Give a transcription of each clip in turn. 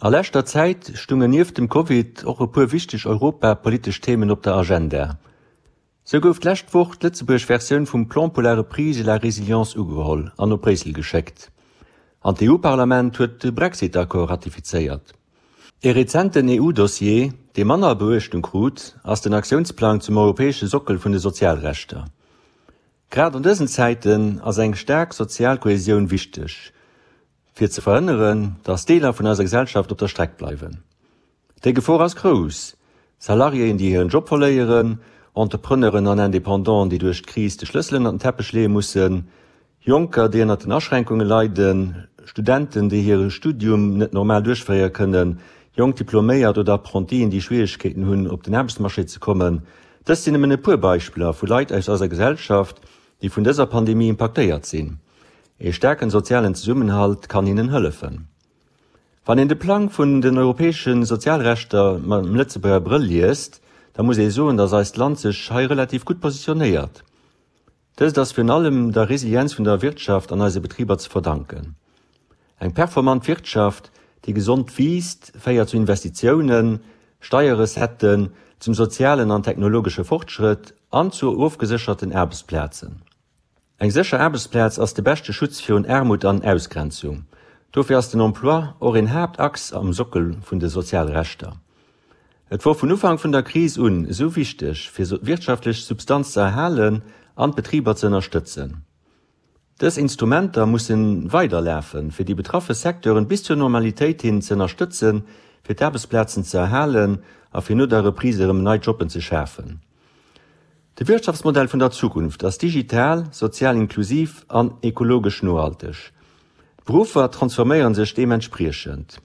A leschter Zäit stungen nieft dem Covid och e puer wichteg europapolitesch Themen op der Agenda. Sou gouf d'lescht Woch d'Lëtzebuerg Versioun vum Plan pour la reprise et la résilience ugeholl an op Bréissel geschéckt. An d'EU-Parlament huet de Brexit-Accord ratifizéiert. Ee rezenten EU-Dossier, dee manner Beuechtung krut, ass den Aktiounsplang zum europäesche Sockel vun de Sozialrechter. Grad an dësen Zäiten ass eng staark sozial Kohesioun wichteg, fir ze verhënneren, datt Deeler vun eiser Gesellschaft op der Streck bleiwen. Déi Gefor ass grouss, Salariéen, déi hiren Job verléieren, Entrepreneuren an Independanten, déi duerch d'Kris de Schlëssel ënnert den Teppech leeë mussen, Jonker, déi ënnert den Aschränkunge leiden, Studenten, déi hire Studium net normal duerchféiere kënnen, jonk Diploméiert oder Apprentien, déi Schwieregkeeten hunn, op den Aarbechtsmarché ze kommen. Dëst sinn nëmmen e puer Beispiller vu Leit aus eiser Gesellschaft, déi vun dëser Pandemie impaktéiert sinn. Ee staarken sozialen Zesummenhalt kann hinnen hëllefen. Wann een de Plang vun den europäesche Sozialrechter mam Lëtzebuerger Brëll liest, da muss ee soen, datt eist Land sech hei relativ gutt positionéiert. Dëst ass virun allem der Resilienz vun der Wirtschaft an eise Betriber ze verdanken. Eng performant Wirtschaft, déi gesond wiisst, féiert zu Investitiounen, Steierrecetten, zum sozialen an technologesche Fortschrëtt an zu ofgesécherten Aarbechtsplazen. Eng sécher Aarbechtsplaz ass de beschte Schutz virun Aarmut an Ausgrenzung. Dofir ass den Emploi och een Haaptachs am Sockel vun de Sozialrechter. Et wor vun Ufank vun der Kris un esou wichteg, fir wirtschaftlech Substanz ze erhalen an d'Betriber ze ënnerstëtzen. Dës Instrumenter mussen weiderlafen, fir déi betraffe Secteuren bis zur Normalitéit hin ze ënnerstëtzen, fir d'Aarbechtsplazen ze erhalen a fir no der Reprise erëm nei Jobben ze schafen. De Wirtschaftsmodell vun der Zukunft ass digital, sozial inklusiv an ekologesch nohalteg. D'Beruffer transforméiere sech deementspriechend.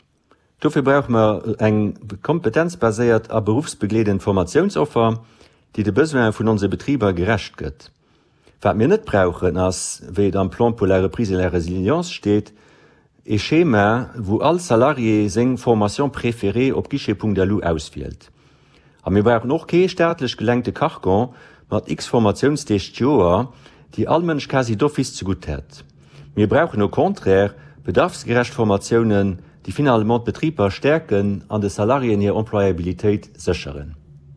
Dofir brauche mer eng kompetenzbaséiert a beruffsbegleedend Formatiounsoffer, déi de Besoine vun onse Betriber gerecht gëtt. Wat mir net brauchen, ass, wéi et am Plan pour la reprise et la résilience steet, ee Schema, wou all Salarié seng Formation préférée op guichet.lu auswielt. A mir brauchen och kee staatlech gelenkte Carcan mat x Formatiounsdeeg d'Joer, déi all Mënsch quasi d'office zegutt hätt. Mir brauchen au contraire bedarfsgerecht Formatiounen, déi finalement d'Betriber stäerken an de Salariéen hir Employabilitéit sécheren.